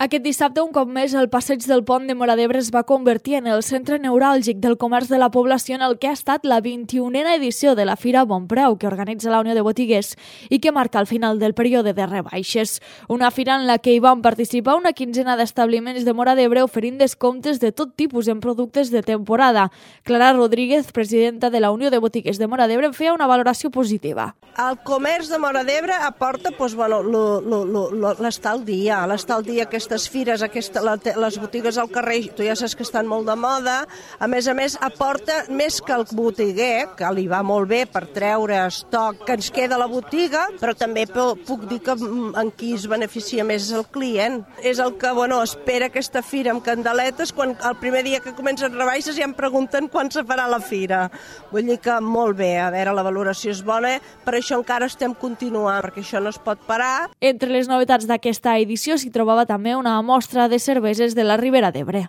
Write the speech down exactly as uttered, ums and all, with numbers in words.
Aquest dissabte, un cop més, el passeig del Pont de Móra d'Ebre es va convertir en el centre neuràlgic del comerç de la població en el que ha estat la vint-i-unena edició de la Fira Bon Preu, que organitza la Unió de Botiguers i que marca el final del període de rebaixes. Una fira en la que hi van participar una quinzena d'establiments de Móra d'Ebre oferint descomptes de tot tipus en productes de temporada. Clara Rodríguez, presidenta de la Unió de Botiguers de Móra d'Ebre, feia una valoració positiva. El comerç de Móra d'Ebre aporta doncs, bueno, l'estar al dia, l'estar al dia, aquestes fires, aquesta, les botigues al carrer, tu ja saps que estan molt de moda, a més a més aporta més que el botiguer, que li va molt bé per treure estoc que ens queda a la botiga, però també puc dir que en qui es beneficia més és el client. És el que bueno, espera aquesta fira amb candeletes, quan el primer dia que comencen rebaixes ja em pregunten quan se farà la fira. Vull dir que molt bé, a veure, la valoració és bona, per això encara estem continuant, perquè això no es pot parar. Entre les novetats d'aquesta edició s'hi trobava també una mostra de cerveses de la Ribera d'Ebre.